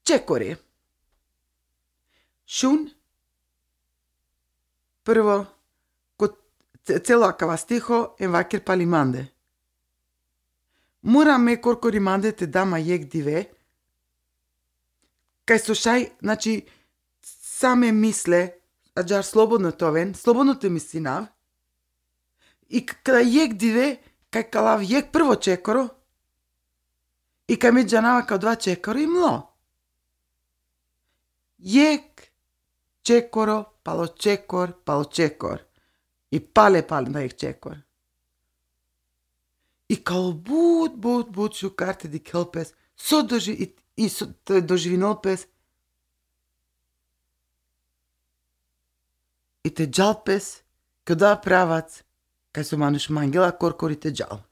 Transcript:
Čekori. Šun. Prvo, kot celo akavastiho en vaker palimande. Mura me korkorimande te dama jek dive, kaj slušaj, znači, same misle, ađar slobodno to ven, slobodno te misinav, i kada jek dive, kaj kalav jek prvo čekoro, i kaj me džanava kao 2 čekoro i mlo. Jek, čekoro, palo čekor, i pale na jek čekor. I kao bud šu karte di kelpes, so doživinolpes, i te džalpes, kao da pravac, kaj su manuš mangela korkori te džal.